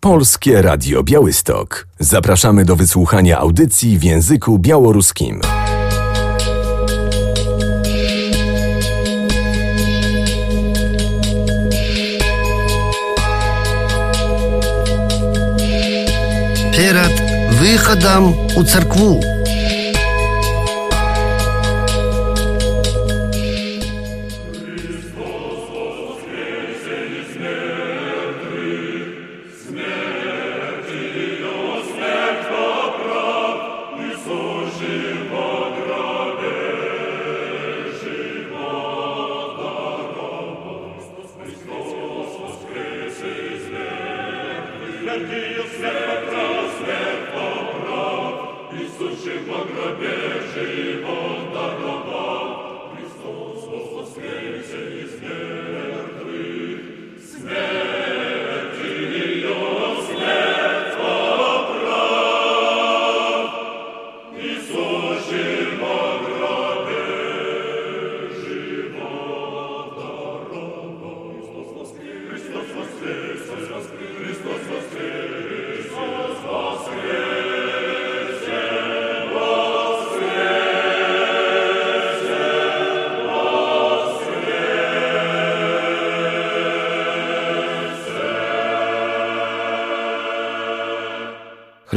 Polskie Radio Białystok. Zapraszamy do wysłuchania audycji w języku białoruskim. Перед выходом у церкву.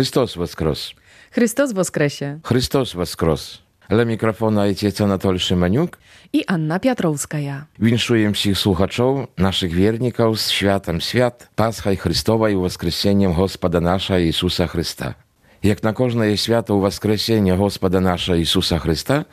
Христос воскрес! Христос воскресе! Христос воскрес! Dla mikrofonu ojciec Anatol Szymaniuk i Anna Piotrowskaja. Winszuję wszystkich słuchaczów, naszych wierników z światem świat, Paschą Chrystową i Woskreseniem Gospoda naszego Jezusa Chrysta. Jak na każde święto Woskresenia Gospoda naszego Jezusa Chrysta,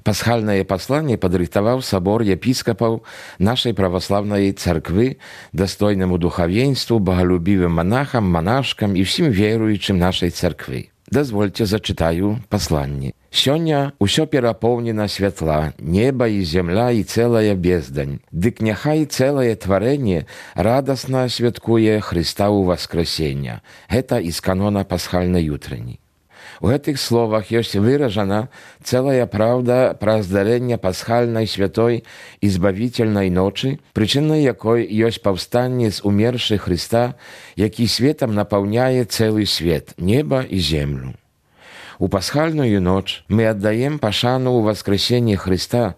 paschalne posłanie podrychtował Sobor Episkopów naszej prawosławnej cerkwy dostojnemu duchowieństwu, bogolubiwym monachom, monaszkom i wszystkim wierującym naszej cerkwy. Дозвольте зачитаю послание. «Сёння усё перапоўнена святла, неба і земля і цэлая бездань. Дык няхай цэлае тварэнне радасна святкуе Христа ў Воскресення». Гэта из канона пасхальнай ютрыні. У гэтых словах ёсць выражана цэлая праўда пра здарэнне пасхальнай святой і збавіцельнай ночы, прычынай якой ёсць паўстанне з умершых Христа, які светам напаўняе цэлы свет, неба і землю. У пасхальную ноч мы аддаем пашану ў воскресенні Христа,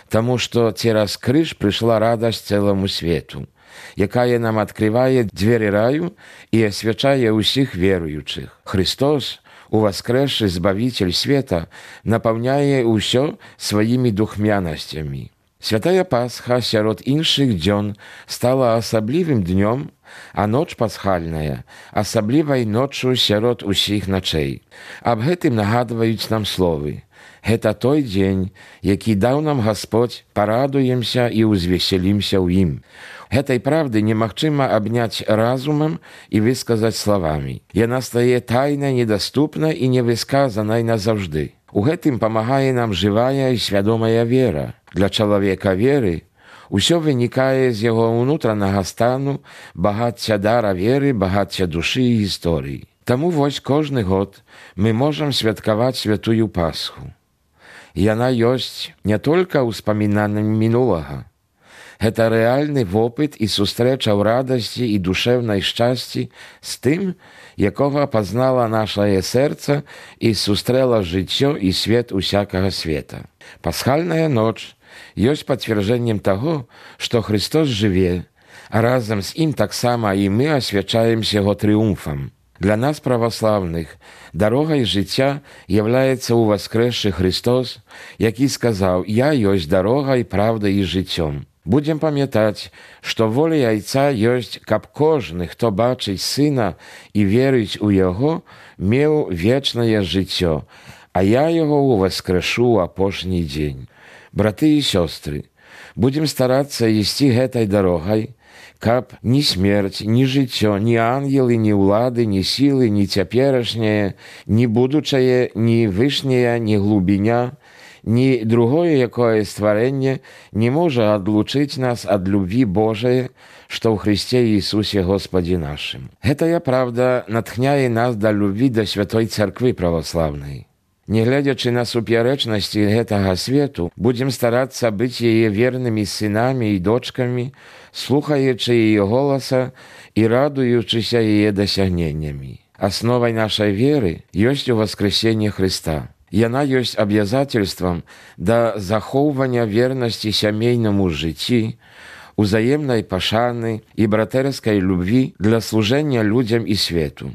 таму што цераз крыж прыйшла радасць цэламу свету, якая нам адкрывае дзверы раю і асвячае ўсіх веруючых. Христос, уваскрэсшы Збавитель света, напаўняе ўсё сваімі духмянасцямі. Святая Пасха сярод іншых дзён стала асаблівым днём, а ноч пасхальная асаблівай ноччу сярод усіх начэй. Аб гэтым нагадваюць нам словы. Гэта той дзень, які даў нам Гасподзь, парадуемся і ўзвесялімся ў ім. Гэтай правды немагчыма абняць разумам і высказаць словамі. Яна стае тайнай, недаступнай і невысказанай назаўжды. У гэтым памагае нам жывая і свядомая вера. Для чалавека веры усё вынікае з яго ўнутранага стану, багацця дара веры, багацця душы і гісторыі. Таму вось кожны год мы можам святкаваць святую Пасху. Яна ёсць не толькі ўспамінаннем мінулага. Гэта рэальны вопыт і сустрэча ў радасці і душэўнай шчасці з тым, якога пазнала нашае сэрца і сустрэла жыццё і свет усякага света. Пасхальная ноч ёсць пацвярджэннем таго, што Христос жыве, а разам з ім таксама і мы асвячаемся яго трыумфам. Для нас, праваслаўных, дарогай жыцця являецца ўваскрэсшы Христос, які сказаў: «Я ёсць дарогай, правдай і жыццём». Будзем памятаць, што воля Айца ёсць, каб кожны, хто бачыць Сына і верыць у Яго, меў вечнае жыццё, а я яго ўваскрэшу ў апошні дзень. Браты і сёстры, будзем старацца ісці гэтай дарогай, каб ні смерць, ні жыццё, ні ангелы, ні ўлады, ні сілы, ні цяперашняе, ні будучае, ні вышняя, ні глубіня, ні другое якое стварэнне не можа адлучыць нас ад любві Божае, што ў Христе Ісусе Господі нашым. Гэтая правда натхняе нас да любві да святой царквы праваслаўнай. Нягледзячы на супярэчнасці гэтага свету, будзем старацца быць яе вернымі сынамі і дочкамі, слухаючы яе голаса і радуючыся яе дасягненнямі. Асновай нашай веры ёсць уваскрэсенне Хрыста. Яна ёсць абавязацельствам да захоўвання вернасці сямейнаму жыцці, узаемнай пашаны і братэрскай любві для служэння людзям і свету.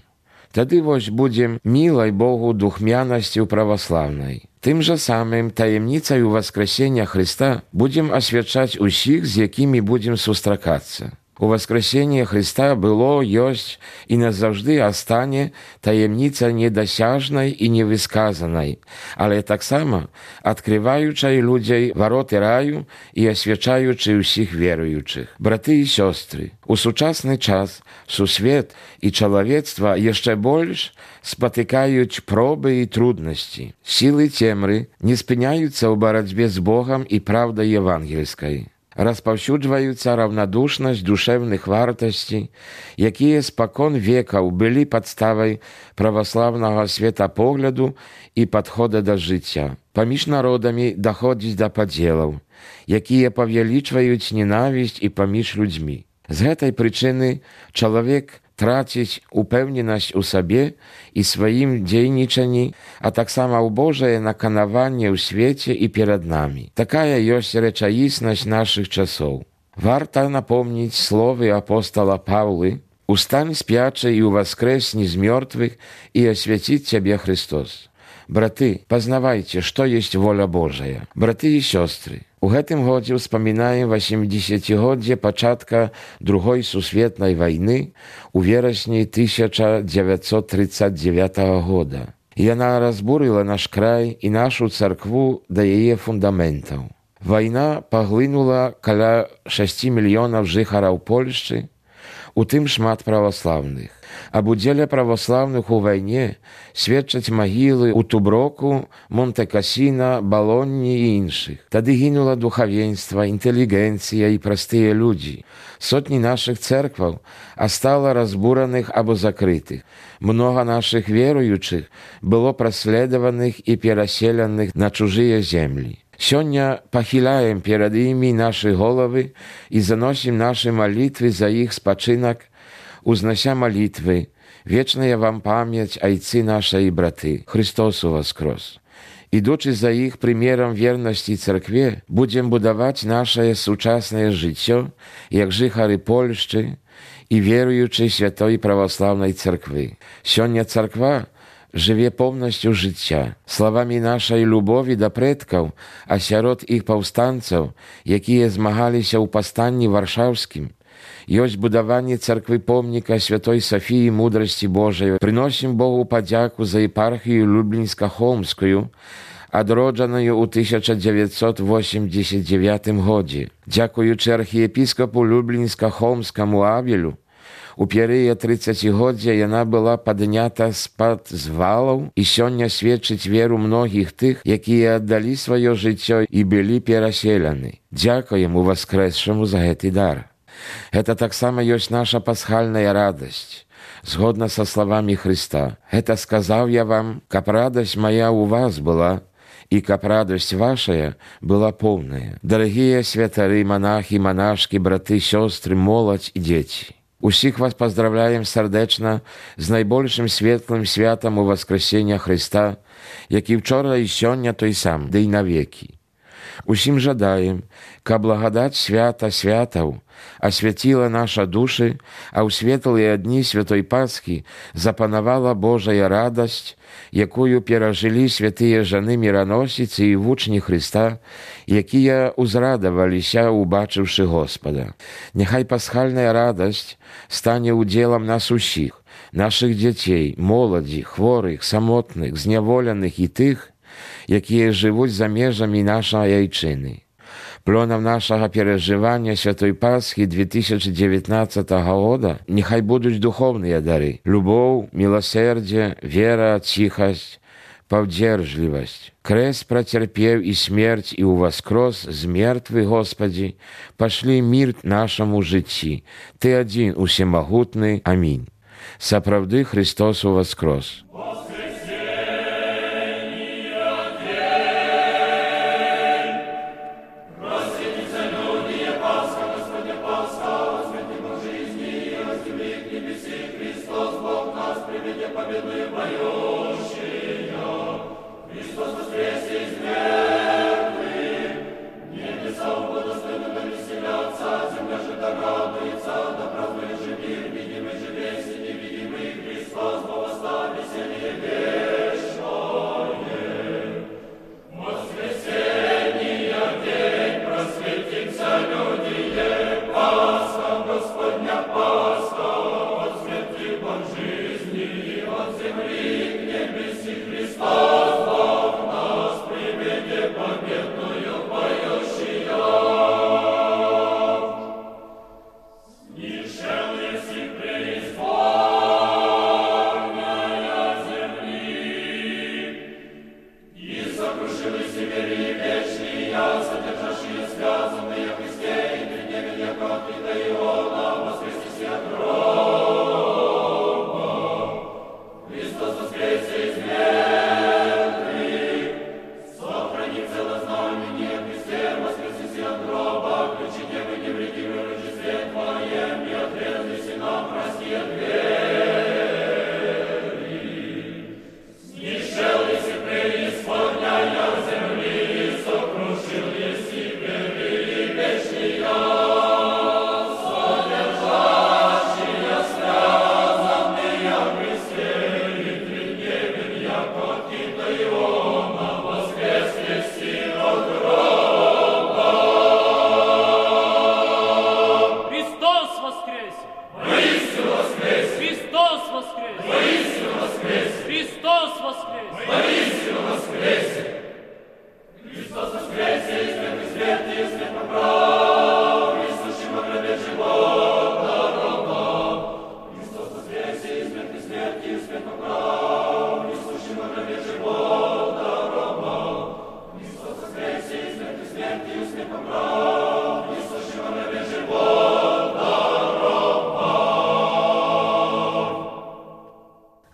Тады вось будзем мілай Богу духмянасцю праваслаўнай. Тым жа самым таемніцай уваскрэсення Хрыста будзем асвячаць усіх, з якімі будзем сустракацца. Уваскрэсенне Хрыста было, ёсць і назаўжды астане таемніца недасяжнай і невысказанай, але таксама адкрываючай людзей вароты раю і асвячаючы ўсіх веруючых. Браты і сёстры, у сучасны час сусвет і чалавецтва яшчэ больш спатыкаюць пробы і труднасці. Сілы цемры не спыняюцца ў барацьбе з Богам і праўдай евангельскай. Распаўсюджваюцца раўнадушнасць душэўных вартасцей, якія спакон векаў былі падставай праваслаўнага светапогляду і падхода да жыцця. Паміж народамі даходзіць да падзелаў, якія павялічваюць ненавісць і паміж людзьмі. З гэтай прычыны чалавек траціць упэўненасць у сабе і сваім дзейнічанні, а таксама ў Божае наканаванне ў свеце і перад намі. Такая ёсць рэчаіснасць нашых часоў. Варта напомніць словы апостала Паўлы: «Устань спячы і ўваскрэсні з мёртвых, і асвяціць цябе Христос». Браты, пазнавайце, што ёсць воля Божая. Браты і сёстры, у гэтым годзе ўспамінаем 80-годдзе пачатка Другой сусветнай вайны у верасні 1939 года. Яна разбурыла наш край і нашу царкву да яе фундаментаў. Вайна паглынула каля 6 мільёнаў жыхараў Польшчы, у тым шмат праваслаўных. Аб удзеле праваслаўных у вайне сведчаць магілы ў Туброку, Монте-Касіна, Балонні і іншых. Тады гінула духавенства, інтэлігенцыя і простыя людзі. Сотні нашых цэркваў астала разбураных або закрытых. Многа нашых веруючых было праследаваных і пераселеных на чужыя землі. Сёння пахіляем перад імі нашы головы і заносім нашы малітвы за іх спачынак, узнася малітвы: «Вечная вам памяць, айцы наша і браты, Христос уваскрос». Ідучы за іх прымерам вернасці царкве, будзем будаваць нашае сучаснае жыццё, як жыхары Польшчы і веруючай святой праваслаўнай царквы. Сёння царква жыве поўнасцю жыцця, словамі нашай любові да прэдкаў, а сярод іх паўстанцаў, якія змагаліся ў паўстанні варшаўскім, ёсць будаванне царквы помніка святой Сафіі мудрасці Божай. Прыносім Богу падзяку за епархію Люблінска-Холмскую, адроджаную ў 1989 годзе. Дзякуючы архіепіскапу Люблінска-Холмскаму Авелю, у перыяд 30-годдзя яна была паднята з-пад звалаў і сёння сведчыць веру многіх тых, якія аддалі сваё жыццё і былі пераселены. Дзякуем уваскрэсшаму за гэты дар. Гэта таксама ёсць наша пасхальная радасць. Згодна са словамі Хрыста: «Гэта сказаў я вам, каб радасць мая ў вас была, і каб радасць вашая была поўная». Дарагія святары, манахі, манашкі, браты, сёстры, моладзь і дзеці, усіх вас паздравляем сардэчна з найбольшым светлым святам уваскрэсення Хрыста, які вчора і сёння той сам, ды і навекі. Усім жадаем, каб благадаць свята святаў асвяціла наша душы, а ў светлыя дні святой Пасхі запанавала Божая радасць, якую перажылі святыя жаны міраносіцы і вучні Хрыста, якія ўзрадаваліся, убачыўшы Господа. Няхай пасхальная радасць стане удзелам нас усіх, нашых дзяцей, моладзі, хворых, самотных, зняволеных і тых, якія жывуць за межамі нашай айчыны. Плёнам нашага перажывання святой Пасхі 2019 года няхай будуць духовныя дары: любоў, міласэрдзе, вера, ціхасць, паўдзержлівасць. Крэст працярпеў і смерць, і ўваскрос з мертвых, Господі, пашлі мір нашаму жыцці. Ты адзін усемагутны. Амінь. Сапраўды Христос уваскрос.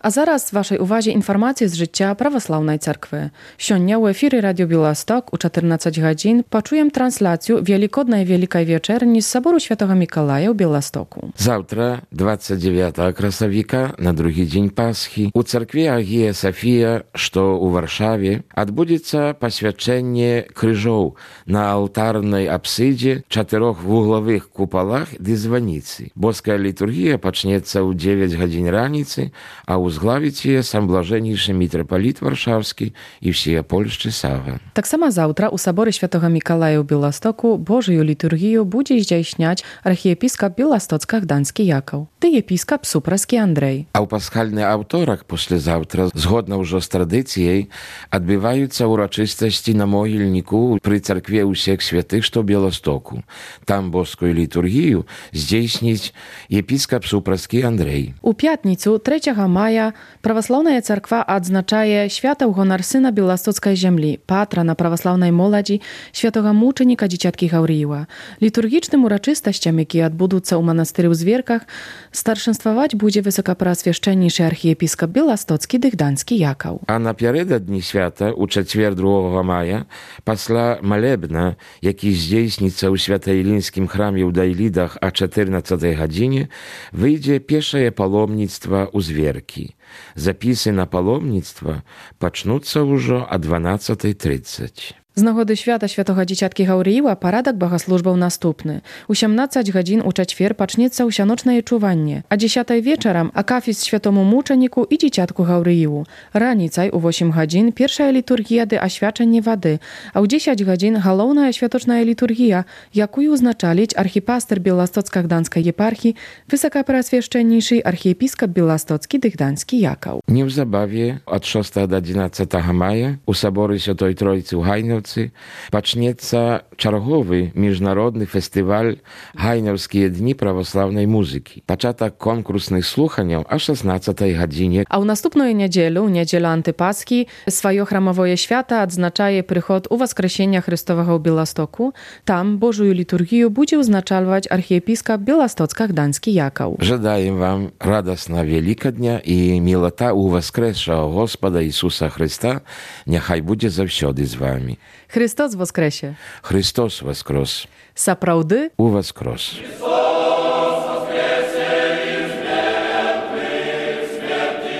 A zaraz waszej uwadze informacje z życia prawosławnej cerkwy. Siądnia u efiry Radio Białystok u 14 godzin poczujem translację Wielikodnej Wielkiej Wieczerni z Soboru Świętego Mikołaja w Białymstoku. Завтра, 29 красовика, на другі дзень Пасхі, у царкві Агія Сафія, што ў Варшаве, адбудзецца пасвячэнне крыжоў на алтарнай апсідзе, 4-вуглавых купалах ды званіцы. Боская літургія пачнецца ў 9 гадзін раніцы, а узглавіць яе сам блажэннейшы мітрапаліт Варшаўскі і всія польшчы Сава. Так само завтра у Соборze Świętego Mikołaja w Białymstoku Bożą liturgię będzie zdійśniać archiepiskop białostocko-gdański Jakov, ty episkop Supraski Andrzej. А ў пасхальны аўторак паслязаўтра, згодна ўжо з традыцыяй, адбываюцца ўрачыстасці на могільніку пры царкве ўсіх святых, што ў Białymstoku. Там боскую літургію здзейсніць епіскап Supraski Andrzej. У пятніцу 3 maja prawosławna cerkwa odznaczaje święta w honor syna białostockiej ziemi, patrona prawosławnej młodzi, świętego muczenika dzieciatki Gauriła. Liturgicznym uroczystościom, jakie odbędą się u monastery w Zwierkach, starszenstwować będzie wysokopreoswieszczenniejszy archiepiskop białostocki Gdański Jakov. A naпередодні święta, u четвер 2 maja, пасля молебна, який здійсниться у Свято-Ілінськім храмі у Дайлідах о 14 годині, вийде пешее паломництво у Звірки. Записи на паломництво почнуться уже о 12:30. Z nagody święta Świętego Dzieciatki Gauriła paradok bogosłużbał następny. U 18 godzin u четвер pacznieca usianoczne czuwanie, a 10 wieczorem akafis Świętemu Muczeniku i Dzieciatku Gauriłu. Ranicaj u 8 godzin pierwsza liturgia dy oświadczenie wody, a u 10 godzin główna świętoczna liturgia, jaką uznaczalić archipaster Białostocko-Gdańskiej Jeparchii, wysokopreoswieszczenniejszy archiepiskop Białostocki Gdański Jakov. Nie w zabawie od 6 do 11 maja u Sobory Świętej Trójcy u Hajnowcy пачнецца чарговы міжнародны фестываль Гайнаўскія дні православнай музыкі. Пачатак конкурсных слуханняў о 16 годиnie. A u następną niedzielę Antypaski, swoje chramowe święta odznaczaje przychod u Woskresenia Chrystowego w Białymstoku. Tam Bożą liturgię będzie uznaczalwać archiepiskop Białostocko-Gdański Jakov. Żedaję wam radosna Wielkadnia i milota u Woskresza Gospoda Jezusa Chrysta, niechaj będzie zawsiody z wami. Chrystus woskresie. Chrystus woskres. Saprawdy u woskres. Chrystus woskresie i z mертwych, śmierci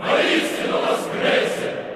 воистину воскресе!